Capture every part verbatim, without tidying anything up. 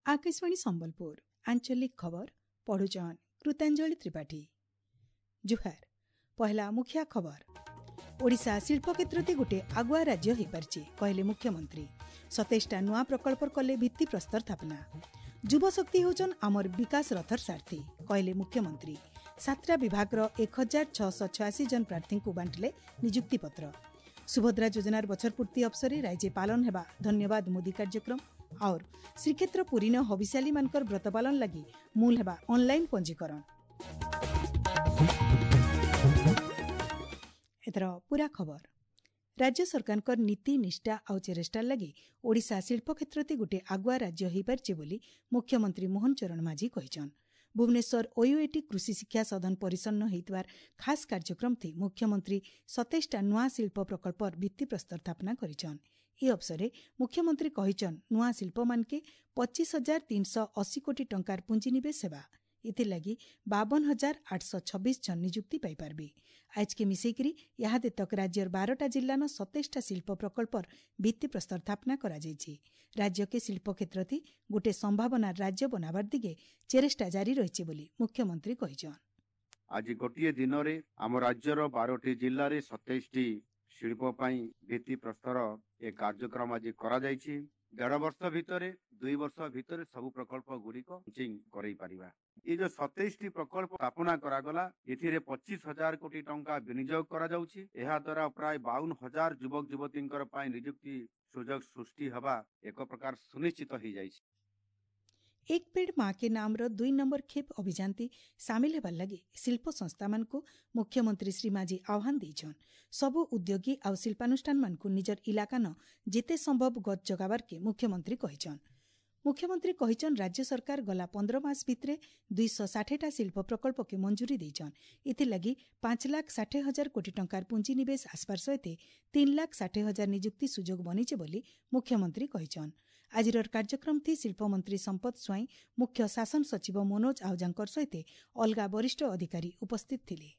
ଆକାଶବାଣୀ ସମ୍ବଲପୁର ଆଞ୍ଚଳିକ ଖବର ପଢୁଛନ୍ କୃତାଞ୍ଜଳି ତ୍ରିପାଠୀ। ଜୁହାର। ପହଲା ମୁଖିଆ ଖବର। ଓଡ଼ିଶା ଶିଳ୍ପ କ୍ଷେତ୍ରତି ଗୋଟିଏ ଆଗୁଆ ରାଜ୍ୟ ହୋଇପାରିଛି, କହିଲେ ମୁଖ୍ୟମନ୍ତ୍ରୀ। ସତେଇଶଟା ନୂଆ ପ୍ରକଳ୍ପ କଲେ ଭିତ୍ତିପ୍ରସ୍ତର ସ୍ଥାପନା। ଯୁବଶକ୍ତି ହେଉଛନ୍ ଆମର ବିକାଶ ରଥର ସାରଥୀ, କହିଲେ ମୁଖ୍ୟମନ୍ତ୍ରୀ। ସାତଟା ବିଭାଗର ଏକ ହଜାର ଛଅଶହ ଛୟାଅଶୀ ଜଣ ପ୍ରାର୍ଥୀଙ୍କୁ ବାଣ୍ଟିଲେ ନିଯୁକ୍ତିପତ୍ର। ସୁଭଦ୍ରା ଯୋଜନାର ବଛର ପୂର୍ତ୍ତି ଅବସରରେ ରାଜ୍ୟ ପାଳନ ହେବା ଧନ୍ୟବାଦ ମୋଦି କାର୍ଯ୍ୟକ୍ରମ। और ଶ୍ରୀକ୍ଷେତ୍ର ପୁରୀନ ହବିଷ୍ୟାଲୀମାନଙ୍କର ବ୍ରତ ପାଳନ ଲାଗି ମୂଲ ହେବା ଅନଲାଇନ୍ ପଞ୍ଜୀକରଣ। ଏଥର ପୁରା ଖବର। ରାଜ୍ୟ ସରକାରଙ୍କର ନୀତି ନିଷ୍ଠା ଆଉ ଚେଷ୍ଟାର ଲାଗି ଓଡ଼ିଶା ଶିଳ୍ପ କ୍ଷେତ୍ରତି ଗୋଟିଏ ଆଗୁଆ ରାଜ୍ୟ ହୋଇପାରିଛି ବୋଲି ମୁଖ୍ୟମନ୍ତ୍ରୀ ମୋହନ ଚରଣ ମାଝୀ କହିଛନ୍। ଭୁବନେଶ୍ୱର ଓୟୁଏଟି କୃଷି ଶିକ୍ଷା ସଦନ ପରିସନ୍ନ ହୋଇଥିବାର ଖାସ୍ କାର୍ଯ୍ୟକ୍ରମଥି ମୁଖ୍ୟମନ୍ତ୍ରୀ ସତେଇଶଟା ନୂଆ ଶିଳ୍ପ ପ୍ରକଳ୍ପର ଭିତ୍ତିପ୍ରସ୍ତର ସ୍ଥାପନା କରିଛନ୍। ଏ ଅବସରରେ ମୁଖ୍ୟମନ୍ତ୍ରୀ କହିଛନ୍, ନୂଆ ଶିଳ୍ପମାନକେ ପଚିଶ ହଜାର ତିନିଶହ ଅଶୀ କୋଟି ଟଙ୍କାର ପୁଞ୍ଜିନିବେଶ ହେବା। ଏଥିର୍ଲାଗି ବାବନ ହଜାର ଆଠଶହ ଛବିଶ ଜଣ ନିଯୁକ୍ତି ପାଇପାରିବେ। ଆଜକେ ମିଶେଇକରି ଇହାଦେ ତକ୍ ରାଜ୍ୟର ବାରଟା ଜିଲ୍ଲାନ ସତେଇଶଟା ଶିଳ୍ପ ପ୍ରକଳ୍ପର ଭିତ୍ତିପ୍ରସ୍ତର ସ୍ଥାପନା କରାଯାଇଛି। ରାଜ୍ୟକେ ଶିଳ୍ପ କ୍ଷେତ୍ରଥି ଗୋଟିଏ ସମ୍ଭାବନାର ରାଜ୍ୟ ବନାବାର ଦିଗେ ଚେଷ୍ଟା ଜାରି ରହିଛି ବୋଲି ମୁଖ୍ୟମନ୍ତ୍ରୀ କହିଛନ୍। ଆଜି ଗୋଟିଏ ଦିନରେ ଆମ ରାଜ୍ୟର ବାରଟି ଜିଲ୍ଲାରେ ସତେଇଶଟି ଶିଳ୍ପ ପାଇଁ ଭିତ୍ତିପ୍ରସ୍ତର ଏ କାର୍ଯ୍ୟକ୍ରମ ଆଜି କରାଯାଇଛି। ଦେଢ଼ ବର୍ଷ ଭିତରେ, ଦୁଇ ବର୍ଷ ଭିତରେ ସବୁ ପ୍ରକଳ୍ପ ଗୁଡ଼ିକ ଲଞ୍ଚିଂ କରେଇ ପାରିବା। ଏ ଯୋଉ ସତେଇଶଟି ପ୍ରକଳ୍ପ ସ୍ଥାପନା କରାଗଲା, ଏଥିରେ ପଚିଶ ହଜାର କୋଟି ଟଙ୍କା ବିନିଯୋଗ କରାଯାଉଛି। ଏହା ଦ୍ୱାରା ପ୍ରାୟ ବାଉନ ହଜାର ଯୁବକ ଯୁବତୀଙ୍କର ପାଇଁ ନିଯୁକ୍ତି ସୁଯୋଗ ସୃଷ୍ଟି ହେବା ଏକ ପ୍ରକାର ସୁନିଶ୍ଚିତ ହେଇଯାଇଛି। ଏକ ପେଡ଼ ମା କେ ନାମର ଦୁଇ ନମ୍ବର ଖେପ୍ ଅଭିଯାନତି ସାମିଲ ହେବାର ଲାଗି ଶିଳ୍ପ ସଂସ୍ଥାମାନଙ୍କୁ ମୁଖ୍ୟମନ୍ତ୍ରୀ ଶ୍ରୀ ମାଝୀ ଆହ୍ୱାନ ଦେଇଛନ୍। ସବୁ ଉଦ୍ୟୋଗୀ ଆଉ ଶିଳ୍ପାନୁଷ୍ଠାନମାନଙ୍କୁ ନିଜର ଇଲାକାନ ଯେତେ ସମ୍ଭବ ଗଛ ଜଗାବାରକେ ମୁଖ୍ୟମନ୍ତ୍ରୀ କହିଛନ୍। ମୁଖ୍ୟମନ୍ତ୍ରୀ କହିଛନ୍, ରାଜ୍ୟ ସରକାର ଗଲା ପନ୍ଦର ମାସ ଭିତରେ ଦୁଇଶହ ଷାଠିଏଟା ଶିଳ୍ପ ପ୍ରକଳ୍ପକେ ମଞ୍ଜୁରୀ ଦେଇଛନ୍। ଏଥିଲାଗି ପାଞ୍ଚ ଲାଖ ଷାଠିଏ ହଜାର କୋଟି ଟଙ୍କାର ପୁଞ୍ଜିନିବେଶ ଆସବାର ସହିତ ତିନି ଲାଖ ଷାଠିଏ ହଜାର ନିଯୁକ୍ତି ସୁଯୋଗ ବନିছে ବୋଲି ମୁଖ୍ୟମନ୍ତ୍ରୀ କହିଛନ୍। ଆଜିର କାର୍ଯ୍ୟକ୍ରମଥି ଶିଳ୍ପମନ୍ତ୍ରୀ ସମ୍ପଦ ସ୍ୱାଇଁ, ମୁଖ୍ୟ ଶାସନ ସଚିବ ମନୋଜ ଆହୁଜାଙ୍କର ସହିତ ଅଲଗା ବରିଷ୍ଠ ଅଧିକାରୀ ଉପସ୍ଥିତ ଥିଲେ।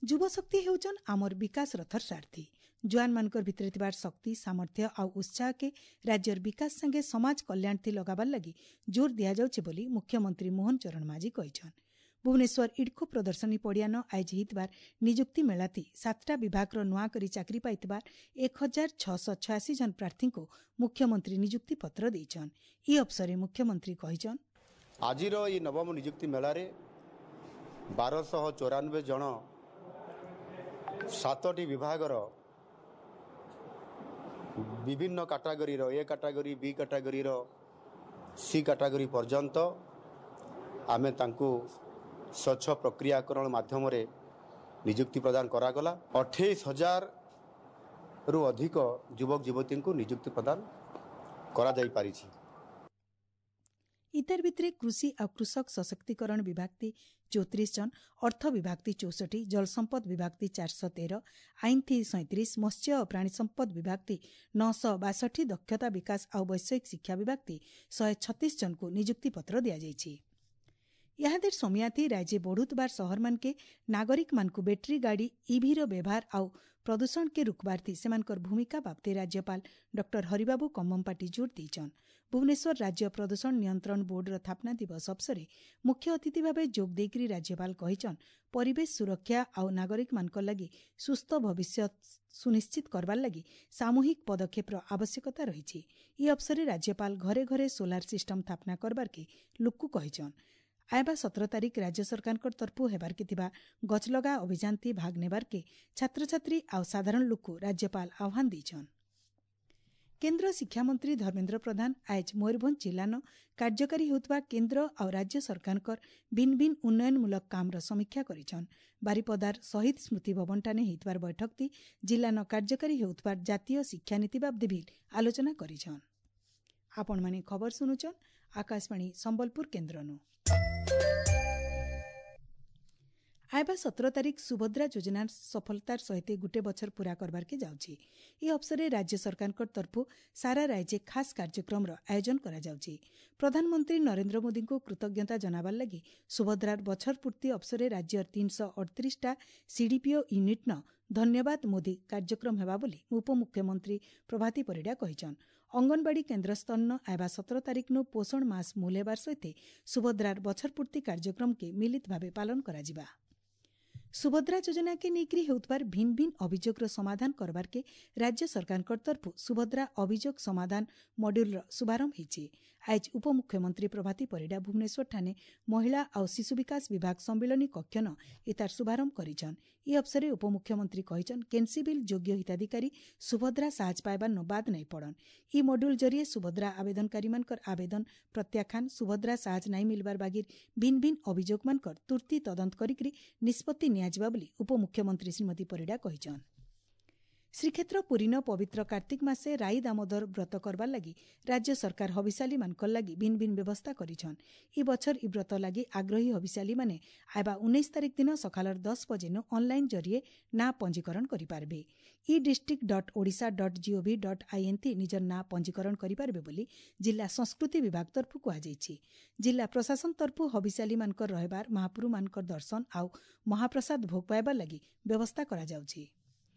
ଯୁବଶକ୍ତି ହେଉଛନ୍ ଆମର ବିକାଶ ରଥର ସାରଥୀ। ଜୁଆନମାନଙ୍କର ଭିତରେ ଥିବାର ଶକ୍ତି, ସାମର୍ଥ୍ୟ ଆଉ ଉତ୍ସାହକେ ରାଜ୍ୟର ବିକାଶ ସାଙ୍ଗେ ସମାଜ କଲ୍ୟାଣଥି ଲଗାବାର ଲାଗି ଜୋର ଦିଆଯାଉଛି ବୋଲି ମୁଖ୍ୟମନ୍ତ୍ରୀ ମୋହନ ଚରଣ ମାଝୀ କହିଛନ୍। ଭୁବନେଶ୍ୱର ଇଡ୍କୋ ପ୍ରଦର୍ଶନୀ ପଡ଼ିଆନ ଆୟୋଜ ହୋଇଥିବାର ନିଯୁକ୍ତି ମେଳାଥି ସାତଟା ବିଭାଗର ନୂଆ କରି ଚାକିରି ପାଇଥିବା ଏକ ହଜାର ଛଅଶହ ଛୟାଅଶୀ ଜଣ ପ୍ରାର୍ଥୀଙ୍କୁ ମୁଖ୍ୟମନ୍ତ୍ରୀ ନିଯୁକ୍ତି ପତ୍ର ଦେଇଛନ୍। ଏ ଅବସରରେ ମୁଖ୍ୟମନ୍ତ୍ରୀ କହିଛନ୍, ଆଜିର ଏହି ନବମ ନିଯୁକ୍ତି ମେଳାରେ ବାରଶହ ଚଉରାନବେ ଜଣ ସାତଟି ବିଭାଗର ବିଭିନ୍ନ କାଟାଗୋରୀର ଏ କାଟାଗୋରୀ, ବି କାଟାଗୋରୀର ସି କାଟାଗୋରୀ ପର୍ଯ୍ୟନ୍ତ ଆମେ ତାଙ୍କୁ ସ୍ୱଚ୍ଛ ପ୍ରକ୍ରିୟାକରଣ ମାଧ୍ୟମରେ ନିଯୁକ୍ତି ପ୍ରଦାନ କରାଗଲା। ଅଠେଇଶ ହଜାରରୁ ଅଧିକ ଯୁବକ ଯୁବତୀଙ୍କୁ ନିଯୁକ୍ତି ପ୍ରଦାନ କରାଯାଇପାରିଛି। ଇତର ଭିତରେ କୃଷି ଆଉ କୃଷକ ସଶକ୍ତିକରଣ ବିଭାଗତି ଚଉତିରିଶ ଜଣ, ଅର୍ଥ ବିଭାଗତି ଚଉଷଠି, ଜଳସମ୍ପଦ ବିଭାଗତି ଚାରିଶହ ତେର, ଆଇନଥି ସଇଁତିରିଶ, ମତ୍ସ୍ୟ ଓ ପ୍ରାଣୀ ସମ୍ପଦ ବିଭାଗତି ନଅଶହ ବାଷଠି, ଦକ୍ଷତା ବିକାଶ ଆଉ ବୈଷୟିକ ଶିକ୍ଷା ବିଭାଗତି ଶହେ ଛତିଶ ଜଣଙ୍କୁ ନିଯୁକ୍ତିପତ୍ର ଦିଆଯାଇଛି। ଇହାଦେର ସମିୟାଥି ରାଜ୍ୟ ବଢ଼ୁଥିବାର ସହରମାନକେ ନାଗରିକମାନଙ୍କୁ ବ୍ୟାଟେରୀ ଗାଡ଼ି ଇଭିର ବ୍ୟବହାର ଆଉ ପ୍ରଦୂଷଣକେ ରୋକବାର୍ଥି ସେମାନଙ୍କର ଭୂମିକା ବାବଦେ ରାଜ୍ୟପାଳ ଡକ୍ଟର ହରିବାବୁ କମ୍ମମ୍ପାଟି ଜୋର ଦେଇଛନ୍। ଭୁବନେଶ୍ୱର ରାଜ୍ୟ ପ୍ରଦୂଷଣ ନିୟନ୍ତ୍ରଣ ବୋର୍ଡର ସ୍ଥାପନା ଦିବସ ଅବସରରେ ମୁଖ୍ୟ ଅତିଥି ଭାବେ ଯୋଗ ଦେଇକରି ରାଜ୍ୟପାଳ କହିଛନ୍, ପରିବେଶ ସୁରକ୍ଷା ଆଉ ନାଗରିକମାନଙ୍କ ଲାଗି ସୁସ୍ଥ ଭବିଷ୍ୟତ ସୁନିଶ୍ଚିତ କରବାର ଲାଗି ସାମୂହିକ ପଦକ୍ଷେପର ଆବଶ୍ୟକତା ରହିଛି। ଏ ଅବସରରେ ରାଜ୍ୟପାଳ ଘରେ ଘରେ ସୋଲାର ସିଷ୍ଟମ ସ୍ଥାପନା କରବାର୍କେ ଲୋକକୁ କହିଛନ୍। ଆଇବା ସତର ତାରିଖ ରାଜ୍ୟ ସରକାରଙ୍କ ତରଫରୁ ହେବାର୍କେ ଥିବା ଗଛଲଗା ଅଭିଯାନଥି ଭାଗ ନେବାର୍କେ ଛାତ୍ରଛାତ୍ରୀ ଆଉ ସାଧାରଣ ଲୋକକୁ ରାଜ୍ୟପାଳ ଆହ୍ୱାନ ଦେଇଛନ୍। କେନ୍ଦ୍ର ଶିକ୍ଷାମନ୍ତ୍ରୀ ଧର୍ମେନ୍ଦ୍ର ପ୍ରଧାନ ଆଜ ମୟୂରଭଞ୍ଜ ଜିଲ୍ଲାନ କାର୍ଯ୍ୟକାରୀ ହେଉଥିବା କେନ୍ଦ୍ର ଆଉ ରାଜ୍ୟ ସରକାରଙ୍କର ଭିନ୍ନ ଭିନ୍ନ ଉନ୍ନୟନମୂଳକ କାମର ସମୀକ୍ଷା କରିଛନ୍। ବାରିପଦାର ଶହୀଦ ସ୍ମୃତି ଭବନଠାନେ ହେଇଥିବାର ବୈଠକଟି ଜିଲ୍ଲାନ କାର୍ଯ୍ୟକାରୀ ହେଉଥିବା ଜାତୀୟ ଶିକ୍ଷାନୀତି ବାବଦେ ବି ଆଲୋଚନା କରିଛନ୍। ଆପଣମାନେ ଖବର ଶୁଣୁଛନ୍ ଆକାଶବାଣୀ ସମ୍ବଲପୁର କେନ୍ଦ୍ରନୁ। ଆଇବା ସତର ତାରିଖ ସୁଭଦ୍ରା ଯୋଜନା ସଫଳତାର ସହିତ ଗୁଟେ ବଛର ପୂରା କରବାରକେ ଯାଉଛି। ଏ ଅବସରରେ ରାଜ୍ୟ ସରକାରଙ୍କ ତରଫରୁ ସାରା ରାଜ୍ୟ ଖାସ୍ କାର୍ଯ୍ୟକ୍ରମର ଆୟୋଜନ କରାଯାଉଛି। ପ୍ରଧାନମନ୍ତ୍ରୀ ନରେନ୍ଦ୍ର ମୋଦିଙ୍କୁ କୃତଜ୍ଞତା ଜଣାବାର ଲାଗି ସୁଭଦ୍ରାର ବଛର ପୂର୍ତ୍ତି ଅବସରରେ ରାଜ୍ୟର ତିନିଶହ ଅଠତିରିଶଟା ସିଡିପିଓ ୟୁନିଟ୍ନ ଧନ୍ୟବାଦ ମୋଦି କାର୍ଯ୍ୟକ୍ରମ ହେବା ବୋଲି ଉପମୁଖ୍ୟମନ୍ତ୍ରୀ ପ୍ରଭାତୀ ପରିଡ଼ା କହିଛନ୍। ଅଙ୍ଗନବାଡ଼ି କେନ୍ଦ୍ର ସ୍ତରନ ଆଇବା ସତର ତାରିଖନୁ ପୋଷଣ ମାସ ମୂଲ ହେବାର ସହିତ ସୁଭଦ୍ରାର ବଛର ପୂର୍ତ୍ତି କାର୍ଯ୍ୟକ୍ରମକେ ମିଳିତ ଭାବେ ପାଳନ କରାଯିବା। ସୁଭଦ୍ରା ଯୋଜନାକେ ନେଇକରି ହେଉଥିବାର ଭିନ୍ନ ଭିନ୍ନ ଅଭିଯୋଗର ସମାଧାନ କରବାରକେ ରାଜ୍ୟ ସରକାରଙ୍କ ତରଫରୁ ସୁଭଦ୍ରା ଅଭିଯୋଗ ସମାଧାନ ମଡ୍ୟୁଲର ଶୁଭାରମ୍ଭ ହୋଇଛି। ଆଜ ଉପମୁଖ୍ୟମନ୍ତ୍ରୀ ପ୍ରଭାତୀ ପରିଡ଼ା ଭୁବନେଶ୍ୱରଠାରେ ମହିଳା ଆଉ ଶିଶୁ ବିକାଶ ବିଭାଗ ସମ୍ମିଳନୀ କକ୍ଷନ ଏତାର ଶୁଭାରମ୍ଭ କରିଛନ୍। ଏ ଅବସରରେ ଉପମୁଖ୍ୟମନ୍ତ୍ରୀ କହିଛନ୍, କେନ୍ସି ବିଲ୍ ଯୋଗ୍ୟ ହିତାଧିକାରୀ ସୁଭଦ୍ରା ସାହାଯ୍ୟ ପାଇବାର ବାଦ ନାଇଁ ପଡ଼ନ୍। ଇ ମଡ୍ୟୁଲ ଜରିଏ ସୁଭଦ୍ରା ଆବେଦନକାରୀମାନଙ୍କର ଆବେଦନ ପ୍ରତ୍ୟାଖ୍ୟାନ, ସୁଭଦ୍ରା ସାହାଯ୍ୟ ନାଇଁ ମିଲବାର ବାଗିର ଭିନ୍ନ ଭିନ୍ନ ଅଭିଯୋଗମାନଙ୍କର ତୁର୍ତ୍ତି ତଦନ୍ତ କରିକରି ନିଷ୍ପତ୍ତି ନିଆଯିବା ବୋଲି ଉପମୁଖ୍ୟମନ୍ତ୍ରୀ ଶ୍ରୀମତୀ ପରିଡ଼ା କହିଛନ୍। ଶ୍ରୀକ୍ଷେତ୍ର ପୁରୀନ ପବିତ୍ର କାର୍ତ୍ତିକ ମାସେ ରାଇ ଦାମୋଦର ବ୍ରତ କରବାର ଲାଗି ରାଜ୍ୟ ସରକାର ହବିଶାଲୀମାନଙ୍କର ଲାଗି ଭିନ୍ନ ଭିନ୍ନ ବ୍ୟବସ୍ଥା କରିଛନ୍। ଇ ବଛର ଇ ବ୍ରତ ଲାଗି ଆଗ୍ରହୀ ହବିଶାଲୀମାନେ ଆଇବା ଉଣେଇଶ ତାରିଖ ଦିନ ସକାଳର ଦଶ ବଜେନୁ ଅନ୍ଲାଇନ୍ ଜରିଏ ନାଁ ପଞ୍ଜୀକରଣ କରିପାରିବେ। E district dot Odisha dot gov dot in ଥି ନିଜର ନାଁ ପଞ୍ଜୀକରଣ କରିପାରିବେ ବୋଲି ଜିଲ୍ଲା ସଂସ୍କୃତି ବିଭାଗ ତରଫରୁ କୁହାଯାଇଛି। ଜିଲ୍ଲା ପ୍ରଶାସନ ତରଫରୁ ହବିଶାଲୀମାନଙ୍କର ରହିବାର, ମହାପ୍ରଭୁମାନଙ୍କର ଦର୍ଶନ ଆଉ ମହାପ୍ରସାଦ ଭୋଗ ପାଇବାର ଲାଗି ବ୍ୟବସ୍ଥା କରାଯାଉଛି।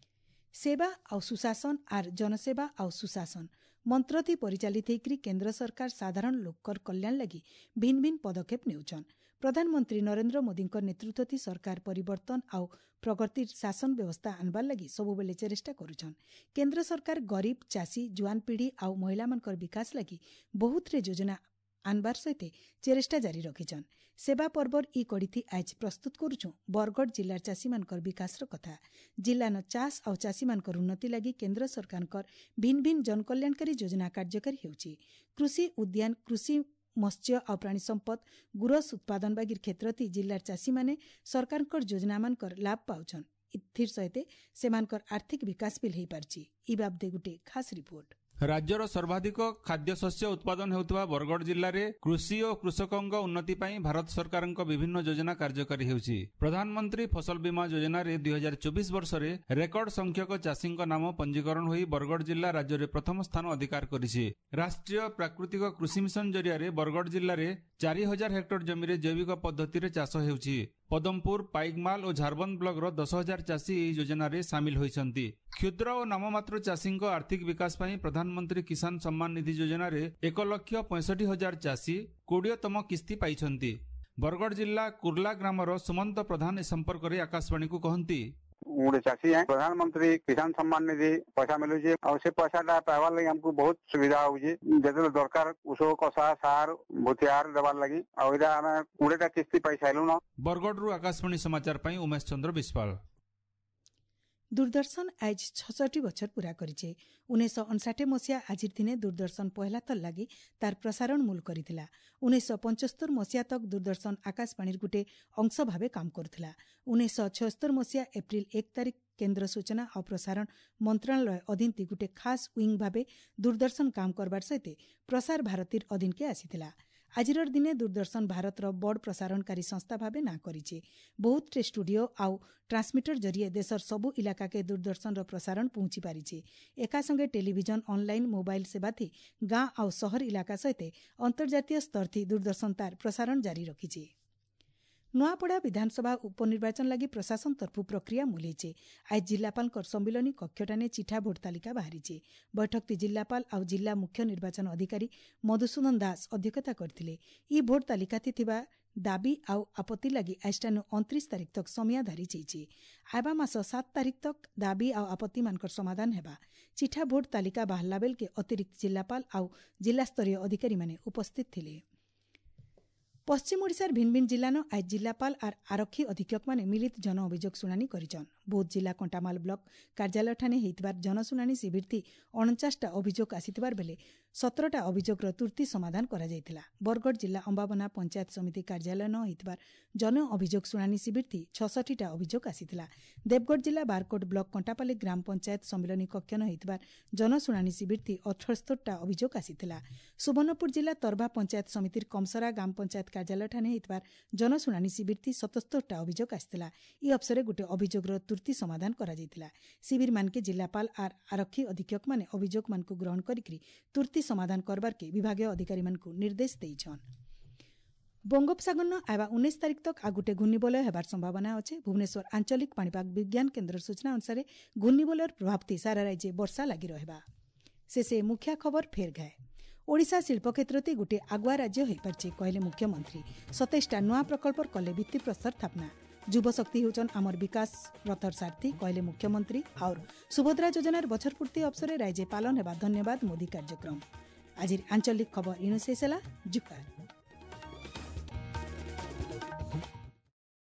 ସେବା ଆଉ ସୁଶାସନ ଆର୍ ଜନସେବା ଆଉ ସୁଶାସନ ମନ୍ତ୍ରଥି ପରିଚାଳିତ ହେଇକରି କେନ୍ଦ୍ର ସରକାର ସାଧାରଣ ଲୋକର କଲ୍ୟାଣ ଲାଗି ଭିନ୍ନ ଭିନ୍ନ ପଦକ୍ଷେପ ନେଉଛନ୍। ପ୍ରଧାନମନ୍ତ୍ରୀ ନରେନ୍ଦ୍ର ମୋଦିଙ୍କ ନେତୃତ୍ୱଥି ସରକାର ପରିବର୍ତ୍ତନ ଆଉ ପ୍ରଗତିର ଶାସନ ବ୍ୟବସ୍ଥା ଆଣବାର ଲାଗି ସବୁବେଳେ ଚେଷ୍ଟା କରୁଛନ୍। କେନ୍ଦ୍ର ସରକାର ଗରିବ, ଚାଷୀ, ଜୁଆନ ପିଢ଼ି ଆଉ ମହିଳାମାନଙ୍କର ବିକାଶ ଲାଗି ବହୁତରେ ଯୋଜନା ଆଣବାର ସହିତ ଚେଷ୍ଟା ଜାରି ରଖିଛନ୍। ସେବା ପର୍ବର ଇ କଡ଼ିଥି ଆଜ ପ୍ରସ୍ତୁତ କରୁଛୁ ବରଗଡ଼ ଜିଲ୍ଲାର ଚାଷୀମାନଙ୍କର ବିକାଶର କଥା। ଜିଲ୍ଲାନ ଚାଷ ଆଉ ଚାଷୀମାନଙ୍କର ଉନ୍ନତି ଲାଗି କେନ୍ଦ୍ର ସରକାରଙ୍କର ଭିନ୍ନ ଭିନ୍ନ ଜନକଲ୍ୟାଣକାରୀ ଯୋଜନା କାର୍ଯ୍ୟକାରୀ ହେଉଛି। କୃଷି, ଉଦ୍ୟାନ କୃଷି, ମତ୍ସ୍ୟ ଆଉ ପ୍ରାଣୀ ସମ୍ପଦ, ଗୁରସ ଉତ୍ପାଦନ ବାଗିର କ୍ଷେତ୍ରଥି ଜିଲ୍ଲାର ଚାଷୀମାନେ ସରକାରଙ୍କର ଯୋଜନାମାନଙ୍କର ଲାଭ ପାଉଛନ୍। ଏଥିର ସହିତ ସେମାନଙ୍କର ଆର୍ଥିକ ବିକାଶ ବିଲ୍ ହୋଇପାରିଛି। ଇ ବାବଦେ ଗୋଟେ ଖାସ୍ ରିପୋର୍ଟ। ରାଜ୍ୟର ସର୍ବାଧିକ ଖାଦ୍ୟଶସ୍ୟ ଉତ୍ପାଦନ ହେଉଥିବା ବରଗଡ଼ ଜିଲ୍ଲାରେ କୃଷି ଓ କୃଷକଙ୍କ ଉନ୍ନତି ପାଇଁ ଭାରତ ସରକାରଙ୍କ ବିଭିନ୍ନ ଯୋଜନା କାର୍ଯ୍ୟକାରୀ ହେଉଛି। ପ୍ରଧାନମନ୍ତ୍ରୀ ଫସଲ ବୀମା ଯୋଜନାରେ ଦୁଇ ହଜାର ଚବିଶ ବର୍ଷରେ ରେକର୍ଡ ସଂଖ୍ୟକ ଚାଷୀଙ୍କ ନାମ ପଞ୍ଜୀକରଣ ହୋଇ ବରଗଡ଼ ଜିଲ୍ଲା ରାଜ୍ୟରେ ପ୍ରଥମ ସ୍ଥାନ ଅଧିକାର କରିଛି। ରାଷ୍ଟ୍ରୀୟ ପ୍ରାକୃତିକ କୃଷି ମିଶନ ଜରିଆରେ ବରଗଡ଼ ଜିଲ୍ଲାରେ ଚାରି ହଜାର ହେକ୍ଟର ଜମିରେ ଜୈବିକ ପଦ୍ଧତିରେ ଚାଷ ହେଉଛି। ପଦମପୁର, ପାଇକମାଲ ଓ ଝାରବନ୍ଦ ବ୍ଲକର ଦଶ ହଜାର ଚାଷୀ ଏହି ଯୋଜନାରେ ସାମିଲ ହୋଇଛନ୍ତି। କ୍ଷୁଦ୍ର ଓ ନାମମାତ୍ର ଚାଷୀଙ୍କ ଆର୍ଥିକ ବିକାଶ ପାଇଁ ପ୍ରଧାନମନ୍ତ୍ରୀ କିଷାନ ସମ୍ମାନ ନିଧି ଯୋଜନାରେ ଏକ ଲକ୍ଷ ପଞ୍ଚଷଠି ହଜାର ଚାଷୀ କୋଡ଼ିଏତମ କିସ୍ତି ପାଇଛନ୍ତି। ବରଗଡ଼ ଜିଲ୍ଲା କୁର୍ଲା ଗ୍ରାମର ସୁମନ୍ତ ପ୍ରଧାନ ଏ ସମ୍ପର୍କରେ ଆକାଶବାଣୀକୁ କହନ୍ତି, ମୁଁ ଗୋଟେ ଚାଷୀ ହେ, ପ୍ରଧାନମନ୍ତ୍ରୀ କିଷାନ ସମ୍ମାନ ନିଧି ପଇସା ମିଳୁଛି ଆଉ ସେ ପଇସାଟା ପାଇବାର ଲାଗି ଆମକୁ ବହୁତ ସୁବିଧା ହଉଛି। ଯେତେବେଳେ ଦରକାର ଔଷଧ, କଷା, ସାର, ଭୁତିଆର ଦେବାର ଲାଗି, ଆଉ ଏଇଟା ଆମେ କୋଡ଼ିଏଟା କିସ୍ତି ପାଇ ସାରିଲୁନ। ବରଗଡ଼ରୁ ଆକାଶବାଣୀ ସମାଚାର ପାଇଁ ଉମେଶ ଚନ୍ଦ୍ର ବିଶ୍ୱାଳ। ଦୂରଦର୍ଶନ ଆଜ ଛଷଠି ବଛର ପୂରା କରିଛେ। ଉଣେଇଶହ ଅଣଷାଠି ମସିହା ଆଜିର ଦିନେ ଦୂରଦର୍ଶନ ପହଲା ଥର ଲାଗି ତାର ପ୍ରସାରଣ ମୂଲ କରିଥିଲା। ଉଣେଇଶହ ପଞ୍ଚସ୍ତର ମସିହା ତକ ଦୂରଦର୍ଶନ ଆକାଶବାଣୀର ଗୋଟେ ଅଂଶ ଭାବେ କାମ କରୁଥିଲା। ଉଣେଇଶହ ଛଅସ୍ତର ମସିହା ଏପ୍ରିଲ ଏକ ତାରିଖ କେନ୍ଦ୍ର ସୂଚନା ଆଉ ପ୍ରସାରଣ ମନ୍ତ୍ରଣାଳୟ ଅଧୀନତି ଗୋଟେ ଖାସ୍ ୱିଙ୍ଗ ଭାବେ ଦୂରଦର୍ଶନ କାମ କରବାର ସହିତ ପ୍ରସାର ଭାରତୀର ଅଧୀନକେ ଆସିଥିଲା। ଆଜିର ଦିନେ ଦୂରଦର୍ଶନ ଭାରତର ବଡ଼ ପ୍ରସାରଣକାରୀ ସଂସ୍ଥା ଭାବେ ନାଁ କରିଛି। ବହୁତଟେ ଷ୍ଟୁଡିଓ ଆଉ ଟ୍ରାନ୍ସମିଟର ଜରିଏ ଦେଶର ସବୁ ଇଲାକାକେ ଦୂରଦର୍ଶନର ପ୍ରସାରଣ ପହଞ୍ଚି ପାରିଛି। ଏକା ସଙ୍ଗେ ଟେଲିଭିଜନ, ଅନଲାଇନ୍, ମୋବାଇଲ ସେବାଥି ଗାଁ ଆଉ ସହର ଇଲାକା ସହିତ ଅନ୍ତର୍ଜାତୀୟ ସ୍ତରଥି ଦୂରଦର୍ଶନ ତାର ପ୍ରସାରଣ ଜାରି ରଖିଛି। ନୂଆପଡ଼ା ବିଧାନସଭା ଉପନିର୍ବାଚନ ଲାଗି ପ୍ରଶାସନ ତରଫରୁ ପ୍ରକ୍ରିୟା ମୂଲେଇছে। ଆজ ଜିଲ୍ଲାପାଳଙ୍କ ସମ୍ମିଳନୀ କକ୍ଷଟାନେ ଚିଠା ଭୋଟ ତାଲିକା ବାହାରିଛି। ବୈଠକଟି ଜିଲ୍ଲାପାଳ ଆଉ ଜିଲ୍ଲା ମୁଖ୍ୟ ନିର୍ବାଚନ ଅଧିକାରୀ ମଧୁସୂଦନ ଦାସ ଅଧ୍ୟକ୍ଷତା କରିଥିଲେ। ଇ ଭୋଟ ତାଲିକାଥି ଥିବା ଦାବି ଆଉ ଆପତ୍ତି ଲାଗି ଆଜଠାନୁ ଅଣତିରିଶ ତାରିଖ ତକ ସମୟ ଧାରି ଯାଇଛି। ଆଇବା ମାସ ସାତ ତାରିଖ ତକ ଦାବି ଆଉ ଆପତ୍ତିମାନଙ୍କର ସମାଧାନ ହେବା। ଚିଠା ଭୋଟ ତାଲିକା ବାହାରିଲା ବେଳକେ ଅତିରିକ୍ତ ଜିଲ୍ଲାପାଳ ଆଉ ଜିଲ୍ଲାସ୍ତରୀୟ ଅଧିକାରୀମାନେ ଉପସ୍ଥିତ ଥିଲେ। ପଶ୍ଚିମ ଓଡ଼ିଶାର ଭିନ୍ନ ଭିନ୍ନ ଜିଲ୍ଲାନ ଆଜ ଜିଲ୍ଲାପାଳ ଆର୍ ଆରକ୍ଷୀ ଅଧୀକ୍ଷକମାନେ ମିଳିତ ଜନ ଅଭିଯୋଗ ଶୁଣାଣି କରିଛନ୍। ବୌଦ୍ଧ ଜିଲ୍ଲା କଣ୍ଟାମାଲ ବ୍ଲକ କାର୍ଯ୍ୟାଳୟଠାନେ ହେଇଥିବାର ଜନଶୁଣାଣି ଶିବିରଥି ଅଣଚାଶଟା ଅଭିଯୋଗ ଆସିଥିବାର ବେଲେ ସତରଟା ଅଭିଯୋଗର ତୁର୍ତି ସମାଧାନ କରାଯାଇଥିଲା। ବରଗଡ଼ ଜିଲ୍ଲା ଅମ୍ବାବନା ପଞ୍ଚାୟତ ସମିତି କାର୍ଯ୍ୟାଳୟ ନ ହୋଇଥିବାର ଜନ ଅଭିଯୋଗ ଶୁଣାଣି ଶିବିରଥି ଛଷଠିଟା ଅଭିଯୋଗ ଆସିଥିଲା। ଦେବଗଡ଼ ଜିଲ୍ଲା ବାରକୋଟ ବ୍ଲକ କଣ୍ଟାପାଲି ଗ୍ରାମ ପଞ୍ଚାୟତ ସମ୍ମିଳନୀ କକ୍ଷ ନ ହୋଇଥିବାର ଜନଶୁଣାଣି ଶିବିରଥି ଅଠସ୍ତରଟା ଅଭିଯୋଗ ଆସିଥିଲା। ସୁବର୍ଣ୍ଣପୁର ଜିଲ୍ଲା ତରଭା ପଞ୍ଚାୟତ ସମିତିର କମସରା ଗ୍ରାମ ପଞ୍ଚାୟତ କାର୍ଯ୍ୟାଳୟଠାନେ ହୋଇଥିବାର ଜନଶୁଣାଣି ଶିବିରଥି ସତସ୍ତରଟା ଅଭିଯୋଗ ଆସିଥିଲା। ଇ ଅବସରରେ ଗୋଟିଏ ଅଭିଯୋଗର ତୁର୍ତି ସମାଧାନ କରାଯାଇଥିଲା। ଶିବିରମାନକେ ଜିଲ୍ଲାପାଳ ଆର୍ ଆରକ୍ଷୀ ଅଧୀକ୍ଷକମାନେ ଅଭିଯୋଗମାନଙ୍କୁ ଗ୍ରହଣ କରିକି ତୁର୍ତି ସମାଧାନ କରବାର୍କେ ବିଭାଗୀୟ ଅଧିକାରୀମାନଙ୍କୁ ନିର୍ଦ୍ଦେଶ ଦେଇଛନ୍। ବଙ୍ଗୋପସାଗରନ ଆଇବା ଉଣେଇଶ ତାରିଖ ତକ୍ ଆଉ ଗୋଟେ ଘୂର୍ଣ୍ଣିବଳୟ ହେବାର ସମ୍ଭାବନା ଅଛି। ଭୁବନେଶ୍ୱର ଆଞ୍ଚଳିକ ପାଣିପାଗ ବିଜ୍ଞାନ କେନ୍ଦ୍ରର ସୂଚନା ଅନୁସାରେ ଘୂର୍ଣ୍ଣିବଳୟର ପ୍ରଭାବତି ସାରା ରାଜ୍ୟ ବର୍ଷା ଲାଗି ରହିବା। ଶେଷେ ମୁଖ୍ୟ ଖବର ଫେର୍ ଘାଏ। ଓଡ଼ିଶା ଶିଳ୍ପ କ୍ଷେତ୍ରତି ଗୋଟିଏ ଆଗୁଆ ରାଜ୍ୟ ହୋଇପାରିଛି, କହିଲେ ମୁଖ୍ୟମନ୍ତ୍ରୀ। ସତେଇଶଟା ନୂଆ ପ୍ରକଳ୍ପର କଲେ ଭିତ୍ତିପ୍ରସ୍ତର ସ୍ଥାପନା। ଯୁବଶକ୍ତି ହେଉଛନ୍ ଆମର ବିକାଶ ରଥର ସାରଥୀ, କହିଲେ ମୁଖ୍ୟମନ୍ତ୍ରୀ। ଆଉ ସୁଭଦ୍ରା ଯୋଜନାର ବଛର ପୂର୍ତ୍ତି ଅବସରରେ ରାଜ୍ୟ ପାଳନ ହେବା ଧନ୍ୟବାଦ ମୋଦି କାର୍ଯ୍ୟକ୍ରମ। ଆଜିର ଆଞ୍ଚଳିକ ଖବର ଇଣୁ ଶେଷ ହେଲା। ଜୁହାର।